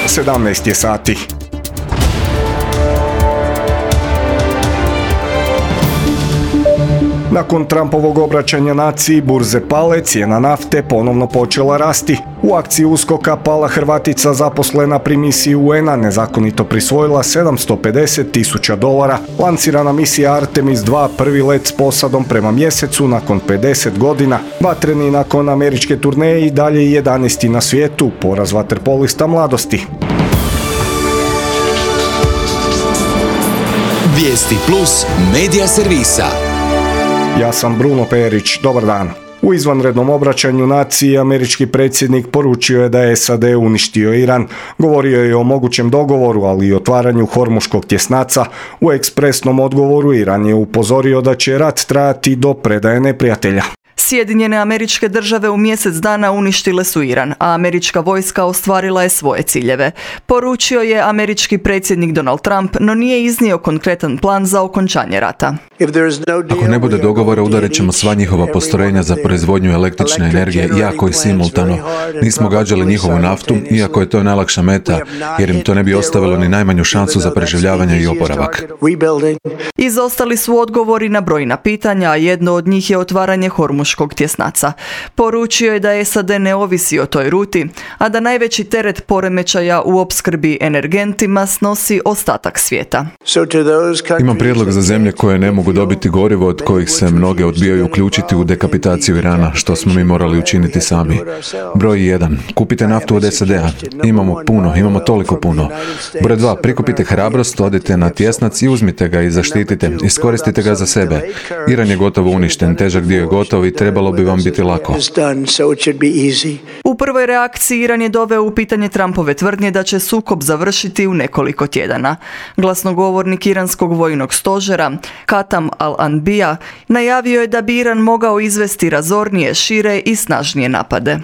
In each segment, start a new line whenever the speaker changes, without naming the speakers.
17 je sati. Nakon Trumpovog obraćanja naciji burze pale, cijena nafte ponovno počela rasti. U akciji USKOK-a pala Hrvatica zaposlena pri misiji UN-a nezakonito prisvojila $750,000. Lansirana misija Artemis 2 prvi let s posadom prema mjesecu nakon 50 godina. Vatreni nakon američke turneje i dalje 11. na svijetu, poraz vaterpolista mladosti.
Vijesti plus medija servisa.
Ja sam Bruno Perić, dobar dan. U izvanrednom obraćanju naciji američki predsjednik poručio je da je SAD uništio Iran. Govorio je o mogućem dogovoru, ali i otvaranju Hormuškog tjesnaca. U ekspresnom odgovoru Iran je upozorio da će rat trajati do predaje neprijatelja.
Sjedinjene Američke Države u mjesec dana uništile su Iran, a američka vojska ostvarila je svoje ciljeve. Poručio je američki predsjednik Donald Trump, no nije iznio konkretan plan za okončanje rata.
Ako ne bude dogovora, udarit ćemo sva njihova postrojenja za proizvodnju električne energije, jako i simultano. Nismo gađali njihovu naftu, iako je to najlakša meta, jer im to ne bi ostavilo ni najmanju šansu za preživljavanje i oporavak.
Izostali su odgovori na brojna pitanja, a jedno od njih je otvaranje Hormuškog tjesnaca. Poručio je da SAD ne ovisi o toj ruti, a da najveći teret poremećaja u opskrbi energentima snosi ostatak svijeta.
Imam prijedlog za zemlje koje ne mogu dobiti gorivo, od kojih se mnoge odbijaju uključiti u dekapitaciju Irana, što smo mi morali učiniti sami. Broj 1. Kupite naftu od SAD-a. Imamo toliko puno. Broj 2. Prikupite hrabrost, odite na tjesnac i uzmite ga i zaštitite. Iskoristite ga za sebe. Iran je gotovo uništen, težak dio je gotov i trebalo bi vam biti lako.
U prvoj reakciji Iran je doveo u pitanje Trumpove tvrdnje da će sukob završiti u nekoliko tjedana. Glasnogovornik iranskog vojnog stožera, Katam al-Anbija, najavio je da bi Iran mogao izvesti razornije, šire i snažnije napade.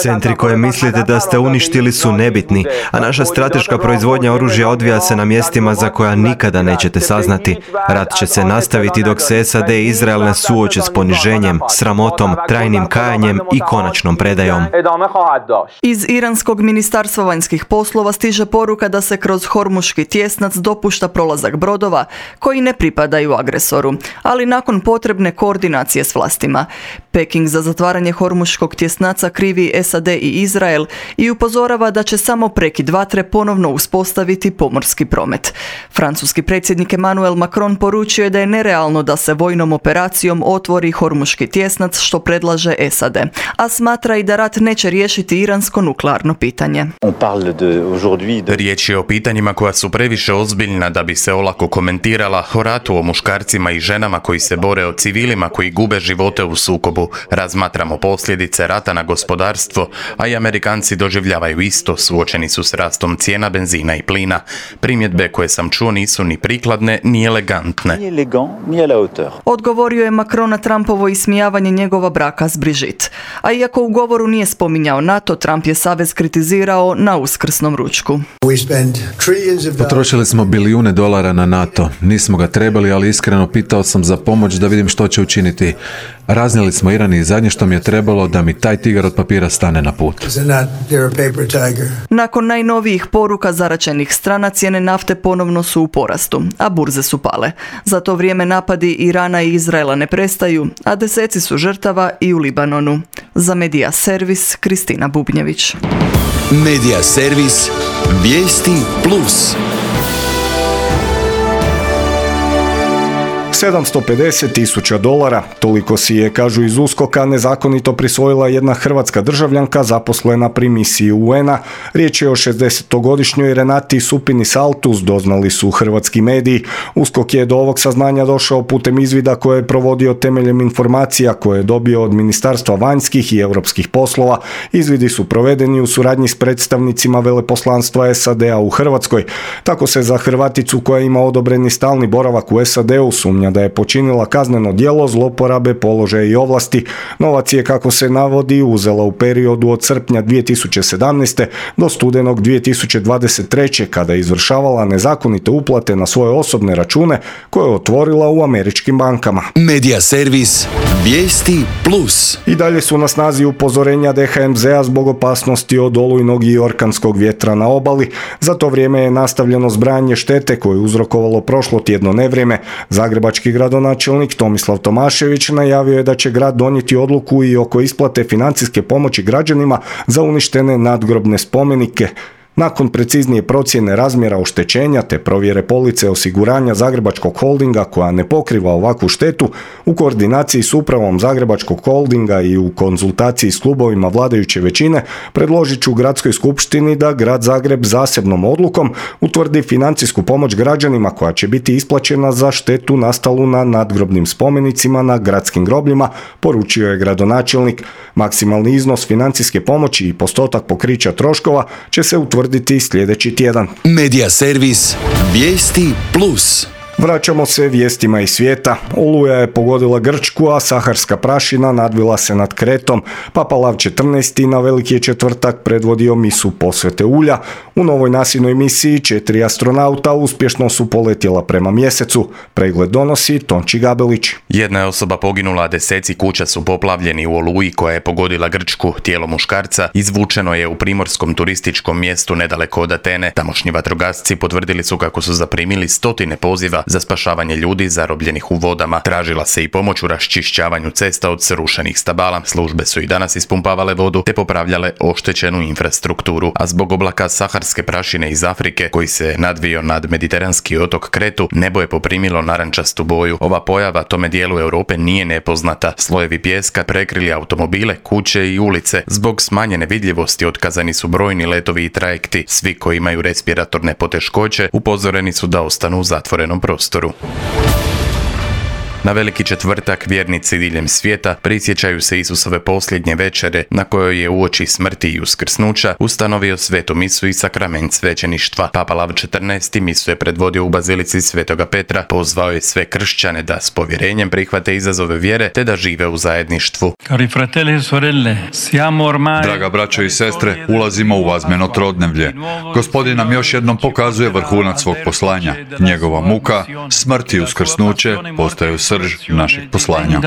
Centri koje mislite da ste uništili su nebitni, a naša strateška proizvodnja oružja odvija se na mjestima za koja nikada nećete saznati. Rat će se nastaviti dok se SAD i Izrael ne suoče s poniženjem, sramotom, trajnim kajanjem i konačnom predajom.
Iz iranskog ministarstva vanjskih poslova stiže poruka da se kroz Hormuški tjesnac dopušta prolazak brodova koji ne pripadaju agresoru, ali nakon potrebne koordinacije s vlastima. Peking za zatvaranje Hormuškog tjesnaca krivi SAD i Izrael i upozorava da će samo prekid vatre ponovno uspostaviti pomorski promet. Francuski predsjednik Emmanuel Macron poručio je da je nerealno da se vojnom operacijom otvori Hormuški tjesnac, što predlaže SAD, a smatra i da rat neće riješiti iransko nuklearno pitanje.
Riječ je o pitanjima koja su previše ozbiljna da bi se olako komentirala, o ratu, o muškarcima i ženama koji se bore, o civilima koji gube živote u sukobu. Razmatramo posljedice rata na gospodarstvo, a i Amerikanci doživljavaju isto, suočeni su s rastom cijena benzina i plina. Primjedbe koje sam čuo nisu ni prikladne, ni elegantne.
Odgovorio je Macron na Trumpovo ismijavanje njegova braka s Brigitte. A iako u govoru nije spominjao NATO, Trump je savez kritizirao na uskrsnom ručku.
Potrošili smo bilijune dolara na NATO. Nismo ga trebali, ali iskreno pitao sam za pomoć da vidim što će učiniti. Raznijeli smo Iran i zadnje što mi je trebalo da mi taj tigar od papira stane na put.
Nakon najnovijih poruka zaraćenih strana, cijene nafte ponovno su u porastu, a burze su pale. Za to vrijeme napadi Irana i Izraela ne prestaju, a deseci su žrtava i u Libanonu. Za Medija Servis, Kristina Bubnjević.
Medija Servis, Vijesti plus.
$750,000, toliko si je, kažu iz USKOK-a, nezakonito prisvojila jedna hrvatska državljanka zaposlena pri misiji UN-a. Riječ je o 60-godišnjoj Renati Supini Saltus, doznali su hrvatski mediji. USKOK je do ovog saznanja došao putem izvida koje je provodio temeljem informacija koje je dobio od Ministarstva vanjskih i europskih poslova. Izvidi su provedeni u suradnji s predstavnicima veleposlanstva SAD-a u Hrvatskoj. Tako se za Hrvaticu koja ima odobreni stalni boravak u SAD-u sumnja sumnja da je počinila kazneno djelo zloporabe položaja i ovlasti. Novac je, kako se navodi, uzela u periodu od srpnja 2017. do studenog 2023. kada je izvršavala nezakonite uplate na svoje osobne račune koje je otvorila u američkim bankama.
Medija servis Vijesti Plus.
I dalje su na snazi upozorenja DHMZ-a zbog opasnosti od olujnog i orkanskog vjetra na obali. Za to vrijeme je nastavljeno zbrajanje štete koje je uzrokovalo prošlo tjedno nevrijeme. Zagrebački gradonačelnik Tomislav Tomašević najavio je da će grad donijeti odluku i oko isplate financijske pomoći građanima za uništene nadgrobne spomenike. Nakon preciznije procjene razmjera oštećenja te provjere police osiguranja Zagrebačkog holdinga koja ne pokriva ovakvu štetu, u koordinaciji s upravom Zagrebačkog holdinga i u konzultaciji s klubovima vladajuće većine, predložit ću gradskoj skupštini da grad Zagreb zasebnom odlukom utvrdi financijsku pomoć građanima koja će biti isplaćena za štetu nastalu na nadgrobnim spomenicima na gradskim grobljima, poručio je gradonačelnik. Maksimalni iznos financijske pomoći i postotak pokrića troškova će se utvrditi sljedeći tjedan.
Medija servis Vijesti Plus.
Vraćamo se vijestima iz svijeta. Oluja je pogodila Grčku, a saharska prašina nadvila se nad Kretom. Papa Lav XIV na Veliki je četvrtak predvodio misu posvete ulja. U novoj nasinoj misiji 4 astronauta uspješno su poletjela prema mjesecu. Pregled donosi Tonči Gabelić.
Jedna je osoba poginula, a deseci kuća su poplavljeni u oluji koja je pogodila Grčku. Tijelo muškarca izvučeno je u primorskom turističkom mjestu nedaleko od Atene. Tamošnji vatrogasci potvrdili su kako su zaprimili stotine poziva za spašavanje ljudi zarobljenih u vodama. Tražila se i pomoć u raščišćavanju cesta od srušenih stabala. Službe su i danas ispumpavale vodu te popravljale oštećenu infrastrukturu, a zbog oblaka saharske prašine iz Afrike koji se nadvio nad mediteranski otok Kretu, nebo je poprimilo narančastu boju. Ova pojava tome dijelu Europe nije nepoznata. Slojevi pijeska prekrili automobile, kuće i ulice. Zbog smanjene vidljivosti otkazani su brojni letovi i trajekti. Svi koji imaju respiratorne poteškoće upozoreni su da ostanu u zatvorenom prostoru. Na Veliki četvrtak vjernici diljem svijeta prisjećaju se Isusove posljednje večere na kojoj je uoči smrti i uskrsnuća ustanovio svetu misu i sakrament svećeništva. Papa Lav XIV misu je predvodio u bazilici Svetoga Petra, pozvao je sve kršćane da s povjerenjem prihvate izazove vjere te da žive u zajedništvu.
Draga braćo i sestre, ulazimo u vazmeno trodnevlje. Gospodin nam još jednom pokazuje vrhunac svog poslanja. Njegova muka, smrt i uskrsnuće postaju srž našeg poslanja.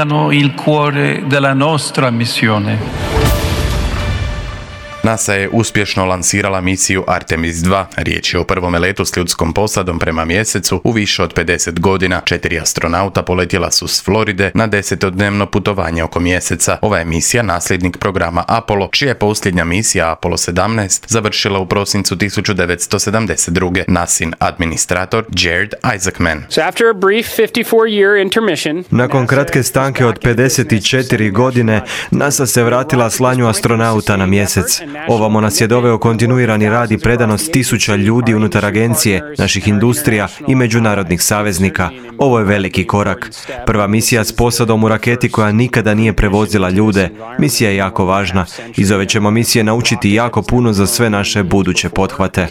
NASA je uspješno lansirala misiju Artemis 2. Riječ je o prvome letu s ljudskom posadom prema mjesecu u više od 50 godina. 4 astronauta poletjela su s Floride na 10-dnevno putovanje oko mjeseca. Ova je misija nasljednik programa Apollo, čija je posljednja misija Apollo 17 završila u prosincu 1972. NASIN administrator Jared Isaacman.
Nakon kratke stanke od 54 godine, NASA se vratila slanju astronauta na mjesec. Ovamo nas je doveo kontinuirani rad i predanost tisuća ljudi unutar agencije, naših industrija i međunarodnih saveznika. Ovo je veliki korak. Prva misija s posadom u raketi koja nikada nije prevozila ljude. Misija je jako važna. Iz ove ćemo misije naučiti jako puno za sve naše buduće pothvate.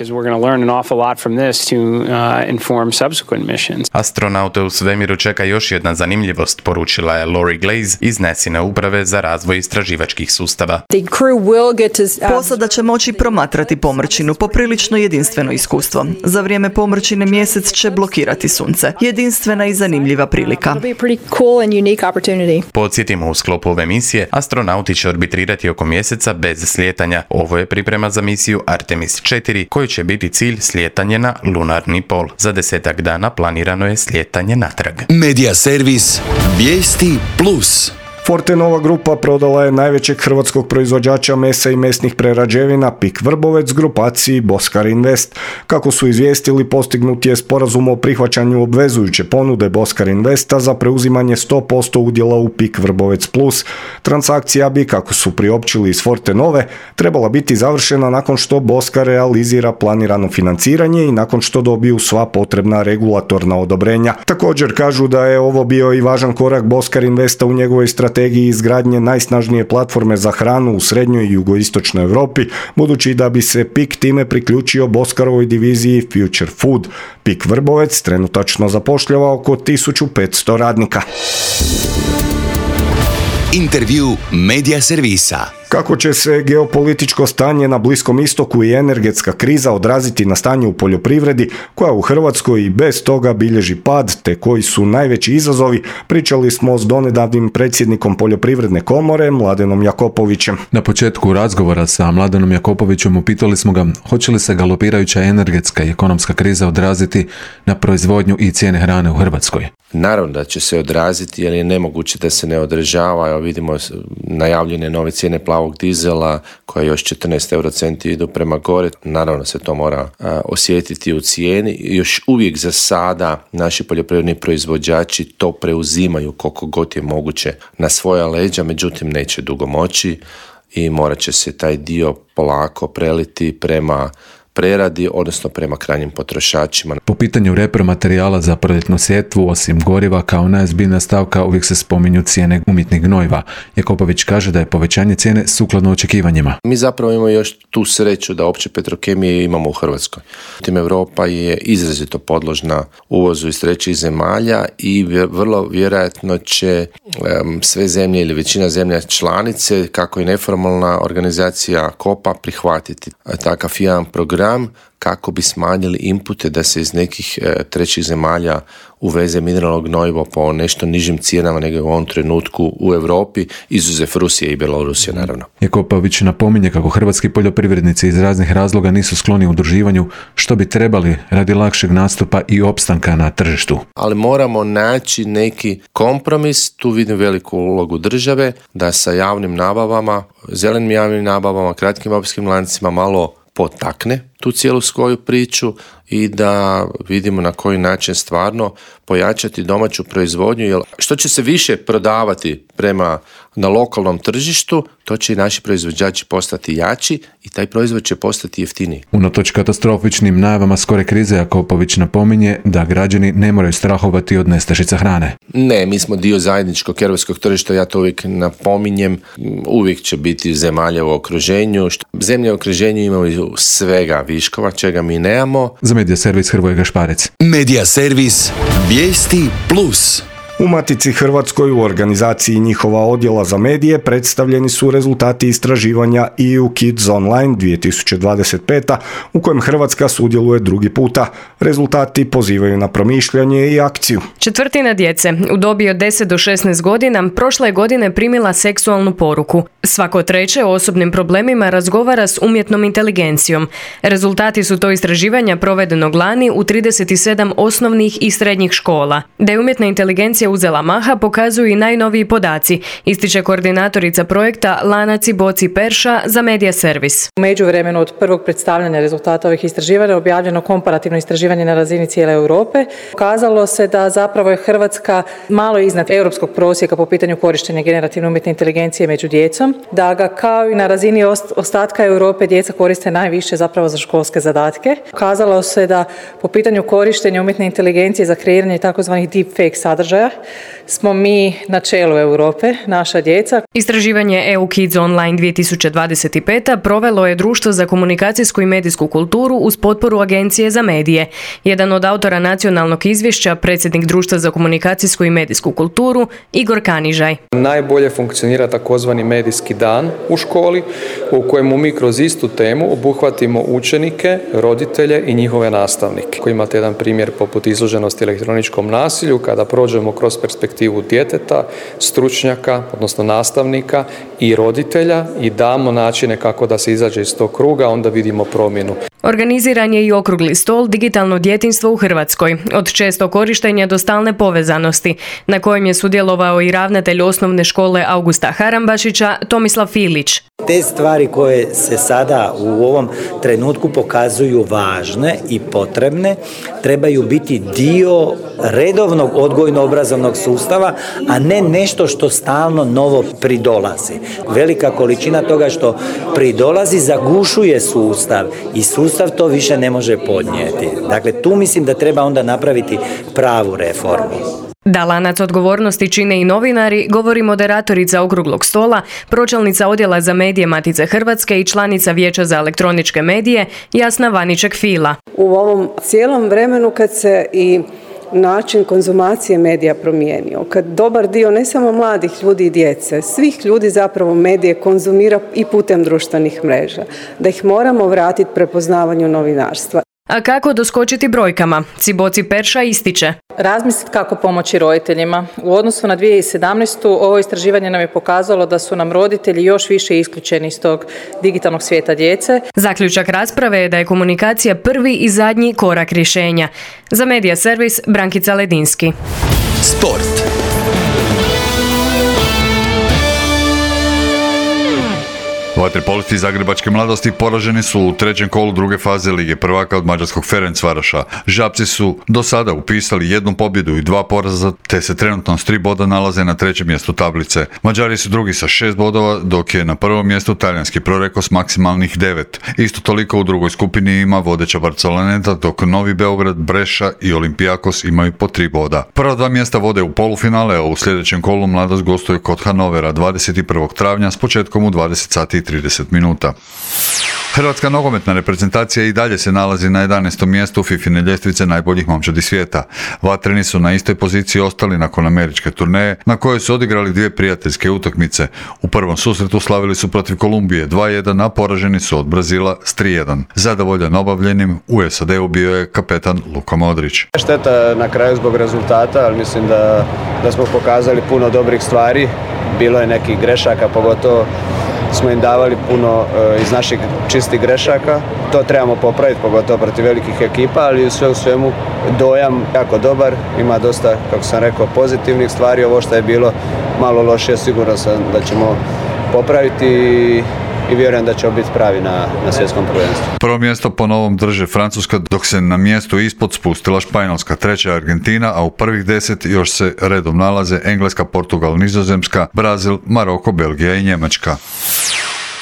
Astronaute u svemiru čeka još jedna zanimljivost, poručila je Lori Glaze iz NASINe uprave za razvoj istraživačkih sustava.
Posada će moći promatrati pomrčinu, poprilično jedinstveno iskustvo. Za vrijeme pomrčine mjesec će blokirati sunce. Jedinstvena i zanimljiva prilika.
Podsjetimo, u sklopu ove misije astronauti će arbitrirati oko mjeseca bez slijetanja. Ovo je priprema za misiju Artemis 4, koji će biti cilj slijetanje na lunarni pol. Za 10 dana planirano je slijetanje natrag.
Medija servis Vijesti Plus.
Fortenova grupa prodala je najvećeg hrvatskog proizvođača mesa i mesnih prerađevina PIK Vrbovec grupaciji Boskar Invest. Kako su izvijestili, postignut je sporazum o prihvaćanju obvezujuće ponude Boskar Investa za preuzimanje 100% udjela u PIK Vrbovec Plus. Transakcija bi, kako su priopćili iz Fortenove, trebala biti završena nakon što Boskar realizira planirano financiranje i nakon što dobiju sva potrebna regulatorna odobrenja. Također kažu da je ovo bio i važan korak Boskar Investa u njegovoj strategiji strategiji izgradnje najsnažnije platforme za hranu u srednjoj i jugoistočnoj Europi, budući da bi se PIK time priključio Boskarovoj diviziji Future Food. PIK Vrbovec trenutačno zapošljava oko 1500 radnika.
Intervju Medija servisa.
Kako će se geopolitičko stanje na Bliskom istoku i energetska kriza odraziti na stanje u poljoprivredi, koja u Hrvatskoj i bez toga bilježi pad, te koji su najveći izazovi, pričali smo s donedavnim predsjednikom Poljoprivredne komore Mladenom Jakopovićem.
Na početku razgovora sa Mladenom Jakopovićem upitali smo ga hoće li se galopirajuća energetska i ekonomska kriza odraziti na proizvodnju i cijene hrane u Hrvatskoj.
Naravno da će se odraziti, jer je nemoguće da se ne održava. Evo vidimo najavljene nove cijene plavog dizela koje još 14 eurocenti idu prema gore. Naravno se to mora osjetiti u cijeni. Još uvijek za sada naši poljoprivredni proizvođači to preuzimaju koliko god je moguće na svoja leđa, međutim neće dugo moći i morat će se taj dio polako preliti prema preradi, odnosno prema krajnjim potrošačima.
Po pitanju repromaterijala za proljetnu sjetvu, osim goriva, kao najozbiljnija stavka uvijek se spominju cijene umjetnih gnojiva. Jakopović kaže da je povećanje cijene sukladno očekivanjima.
Mi zapravo imamo još tu sreću da opće petrokemije imamo u Hrvatskoj. Tim Europa je izrazito podložna uvozu iz trećih zemalja i vrlo vjerojatno će sve zemlje ili većina zemlja članice, kako i neformalna organizacija COPA, prihvatiti takav jedan program kako bi smanjili inpute da se iz nekih trećih zemalja uveze mineralno gnojivo po nešto nižim cijenama nego u ovom trenutku u Europi, izuzev Rusije i Bjelorusije naravno.
Jakopović napominje kako hrvatski poljoprivrednici iz raznih razloga nisu skloni udruživanju, što bi trebali radi lakšeg nastupa i opstanka na tržištu.
Ali moramo naći neki kompromis, tu vidim veliku ulogu države, da sa javnim nabavama, zelenim javnim nabavama, kratkim opskrbnim lancima malo potakne tu cijelu svoju priču i da vidimo na koji način stvarno pojačati domaću proizvodnju, jer što će se više prodavati na lokalnom tržištu, to će i naši proizvođači postati jači i taj proizvod će postati jeftiniji.
Unatoč katastrofičnim najavama skore krize, Jakopović napominje da građani ne moraju strahovati od nestašica hrane.
Ne, mi smo dio zajedničkog europskog tržišta, ja to uvijek napominjem, uvijek će biti zemalja u okruženju. Zemlje u okruženju imaju svega viškova, čega mi nemamo.
Za Medija servis Hrvoje Gašparec.
Medija servis Vijesti Plus.
U Matici Hrvatskoj u organizaciji njihova odjela za medije predstavljeni su rezultati istraživanja EU Kids Online 2025. u kojem Hrvatska sudjeluje drugi puta. Rezultati pozivaju na promišljanje i akciju.
Četvrtina djece u dobi od 10 do 16 godina prošle godine primila seksualnu poruku. Svako treće o osobnim problemima razgovara s umjetnom inteligencijom. Rezultati su to istraživanja provedenog lani u 37 osnovnih i srednjih škola. Da je umjetna inteligencija uzela maha pokazuju i najnoviji podaci, ističe koordinatorica projekta Lana Ciboci-Perša za Medija servis.
U međuvremenu od prvog predstavljanja rezultata ovih istraživanja objavljeno komparativno istraživanje na razini cijele Europe. Pokazalo se da zapravo je Hrvatska malo iznad europskog prosjeka po pitanju korištenja generativne umjetne inteligencije među djecom, da ga kao i na razini ostatka Europe djeca koriste najviše zapravo za školske zadatke. Pokazalo se da po pitanju korištenja umjetne inteligencije za kreiranje takozvanih deepfake sadržaja smo mi na čelu Europe, naša djeca.
Istraživanje EU Kids Online 2025. provelo je Društvo za komunikacijsku i medijsku kulturu uz potporu Agencije za medije. Jedan od autora nacionalnog izvješća, predsjednik Društva za komunikacijsku i medijsku kulturu, Igor Kanižaj.
Najbolje funkcionira takozvani medijski dan u školi, u kojemu mi kroz istu temu obuhvatimo učenike, roditelje i njihove nastavnike. Ako imate jedan primjer poput izloženosti elektroničkom nasilju, kada prođemo kroz perspektivu djeteta, stručnjaka, odnosno nastavnika i roditelja i damo načine kako da se izađe iz tog kruga, onda vidimo promjenu.
Organiziran je i okrugli stol Digitalno djetinjstvo u Hrvatskoj, od često korištenja do stalne povezanosti, na kojem je sudjelovao i ravnatelj osnovne škole Augusta Harambašića, Tomislav Filić.
Te stvari koje se sada u ovom trenutku pokazuju važne i potrebne, trebaju biti dio redovnog odgojno-obrazovnog sustava, a ne nešto što stalno novo pridolazi. Velika količina toga što pridolazi zagušuje sustav i sustav to više ne može podnijeti. Dakle, tu mislim da treba onda napraviti pravu reformu.
Da lanac odgovornosti čine i novinari, govori moderatorica okruglog stola, pročelnica odjela za medije Matice Hrvatske i članica Vijeća za elektroničke medije Jasna Vaniček-Fila.
U ovom cijelom vremenu kad se i način konzumacije medija promijenio, kad dobar dio ne samo mladih ljudi i djece, svih ljudi zapravo medije konzumira i putem društvenih mreža, da ih moramo vratiti prepoznavanju novinarstva.
A kako doskočiti brojkama? Ciboci Perša ističe.
Razmisliti kako pomoći roditeljima. U odnosu na 2017. ovo istraživanje nam je pokazalo da su nam roditelji još više isključeni iz tog digitalnog svijeta djece.
Zaključak rasprave je da je komunikacija prvi i zadnji korak rješenja. Za Medija servis Brankica Ledinski.
Sport.
Vaterpolisti Zagrebačke mladosti poraženi su u trećem kolu druge faze Lige prvaka od mađarskog Ferencvaraša. Žabci su do sada upisali jednu pobjedu i 2 poraza, te se trenutno s 3 boda nalaze na trećem mjestu tablice. Mađari su drugi sa 6 bodova, dok je na prvom mjestu talijanski Proreko s maksimalnih 9. Isto toliko u drugoj skupini ima vodeća Barceloneta, dok Novi Beograd, Breša i Olympiakos imaju po 3 boda. Prva 2 mjesta vode u polufinale, a u sljedećem kolu mladost gostuje kod Hanovera 21. travnja s početkom u 20 sati i 30 minuta. Hrvatska nogometna reprezentacija i dalje se nalazi na 11. mjestu FIFA-ine ljestvice najboljih momčadi svijeta. Vatreni su na istoj poziciji ostali nakon američke turneje, na kojoj su odigrali 2 prijateljske utakmice. U prvom susretu slavili su protiv Kolumbije 2-1, a poraženi su od Brazila s 3-1. Zadovoljan obavljenim u SAD-u bio je kapetan Luka Modrić.
Šteta na kraju zbog rezultata, ali mislim da smo pokazali puno dobrih stvari. Bilo je nekih grešaka, pogotovo smo im davali puno iz naših čistih grešaka. To trebamo popraviti, pogotovo protiv velikih ekipa, ali sve u svemu dojam jako dobar. Ima dosta, kako sam rekao, pozitivnih stvari. Ovo što je bilo malo lošije, sigurno sam da ćemo popraviti i vjerujem da će biti pravi na svjetskom prvenstvu.
Prvo mjesto po novom drže Francuska, dok se na mjestu ispod spustila Španjolska, treća Argentina, a u prvih 10 još se redom nalaze Engleska, Portugal, Nizozemska, Brazil, Maroko, Belgija i Njemačka.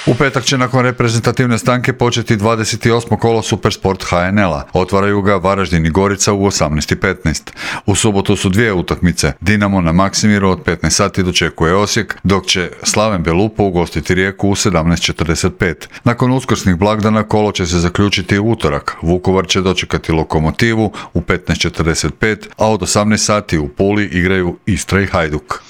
U petak će nakon reprezentativne stanke početi 28. kolo Supersport HNL-a. Otvaraju ga Varaždin i Gorica u 18:15. U subotu su 2 utakmice. Dinamo na Maksimiru od 15 sati dočekuje Osijek, dok će Slaven Belupo ugostiti Rijeku u 17:45. Nakon uskrsnih blagdana kolo će se zaključiti u utorak. Vukovar će dočekati Lokomotivu u 15:45, a od 18 sati u Puli igraju Istra i Hajduk.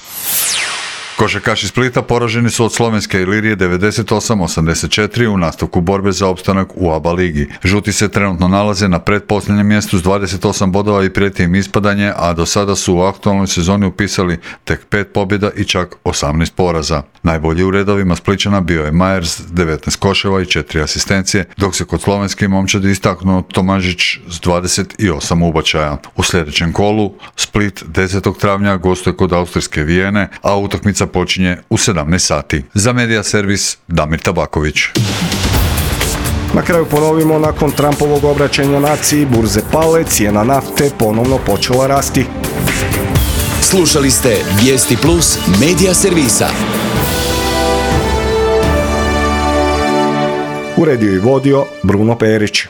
Košarkaši Splita poraženi su od slovenske Ilirije 98-84 u nastavku borbe za opstanak u ABA ligi. Žuti se trenutno nalaze na pretposljednjem mjestu s 28 bodova i prijeti im ispadanje, a do sada su u aktualnoj sezoni upisali tek 5 pobjeda i čak 18 poraza. Najbolji u redovima Splićana bio je Majers 19 koševa i 4 asistencije, dok se kod slovenske momčadi istaknuo Tomažić s 28 ubačaja. U sljedećem kolu Split 10. travnja gostuje kod austrijske Vijene, a utakmica počinje u 17 sati. Za Medija servis Damir Tabaković.
Na kraju ponovimo, nakon Trumpovog obraćanja naciji burze pale, cijena nafte ponovno počela rasti.
Slušali ste Vijesti Plus Medija servisa.
Uredio i vodio Bruno Perić.